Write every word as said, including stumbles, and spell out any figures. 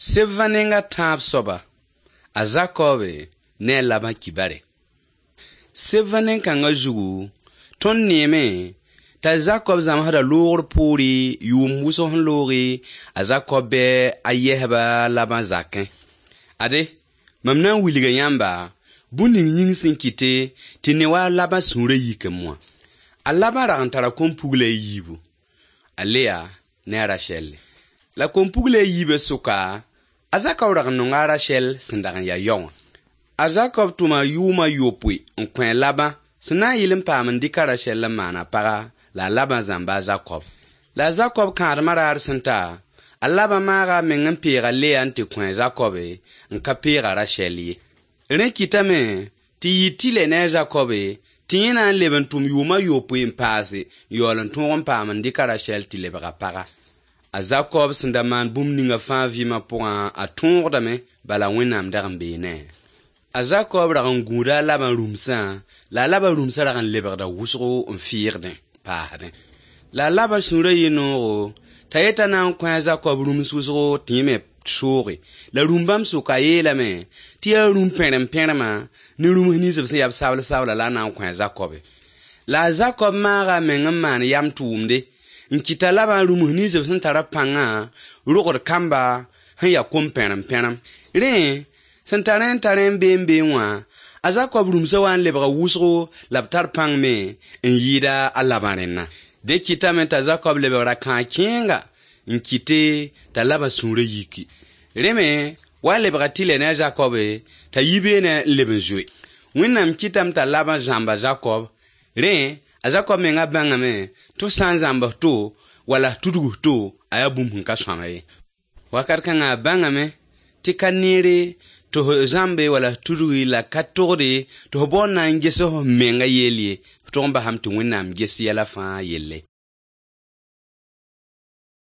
Sebã nenga tãab soaba, a Zakob ne a Laban kibare. Sebã nen-kãngã zugu, tõnd neeme t'a Zakob zãmsda loogr poore yʋʋm wʋsg sẽn looge, a Zakob bɩ a yɛsba Laban zakẽ. Ade, mam na n wilga yãmba bũmb ning yĩng sẽn kɩte tɩ ne wa a Laban sũurã yik n moa. A Laban rag n tara kom-pugla a yiibu, a Leya ne a Rashɛlle. La kom-pugla a yiibã sʋka, a Zakob rag n nonga a Rashɛl sẽn dag n ya yao wã. A Zakob tʋma yʋʋm a yopoe n kõ a Laban sẽn na n yɩl n paam n dɩk a Rashɛl n maan a paga la a Laban zãmba a Zakob. La a Zakob kãadmã raar sẽn ta, a Laban maaga a meng n peeg a Leya n tɩ kõ a Zakob n ka peeg a Rashɛl ye. Rẽ kɩtame tɩ yɩ tɩlɛ ne a Zakob tɩ yẽ na n leb n tʋm yʋʋm a yopoe n paase n yaool n tõog n paam n dɩk a Rashɛl tɩ lebg a paga. A Zakob sẽn da maan bũmb ninga fãa vɩɩmã pʋgã, a tõogdame bala Wẽnnaam dag n bee ne-a. A Zakob rag n gũuda a Laban rũmsã, la a Laban rũmsã rag n lebgda wʋsgo n fɩɩgdẽ, paasdẽ. La a Laban sũurã yɩ noogo t'a yeta na n kõ a Zakob rũms wʋsgo tɩ yẽ me sooge. La rũm-bãmb sʋka yeelame tɩ yaa rũm-pẽrem-pẽremã ne rũms nins b sẽn yaa b sabl-sabla la a na n kõ a Zakobe. La a Zakob maaga a meng n maan yam tʋʋmde n kɩt a Laban rũms nins b sẽn tara pãngã rogd kamba sẽn yaa kom-pẽrem-pẽrem. Rẽ, sẽn tar n tar n bee n bee wã, a Zakob rũmsã wa n lebga wʋsgo la b tar pãng me n yɩɩda a Laban rẽnna. Dẽ kɩtame t'a Zakob lebgra kãag-kẽenga n kɩte t'a Laban sũurã yiki. Rẽ me wa lebga tɩlɛ ne a Zakob t'a yi beene n leb n zoe. Wẽnnaam kɩtame t'a Laban zãmba Zakob. Rẽ, a Zakob menga bãngame tɩ f sã n zãmbs to wala f tudg to, a yaa bũmb sẽn ka sõama ye. Wakat kãngã a bãngame tɩ ka neere tɩ f zãmbe wala f tudgi la ka togde tɩ f bao n na n ges f menga yell ye, f tog n basame tɩ Wẽnnaam ges yɛla fãa yelle.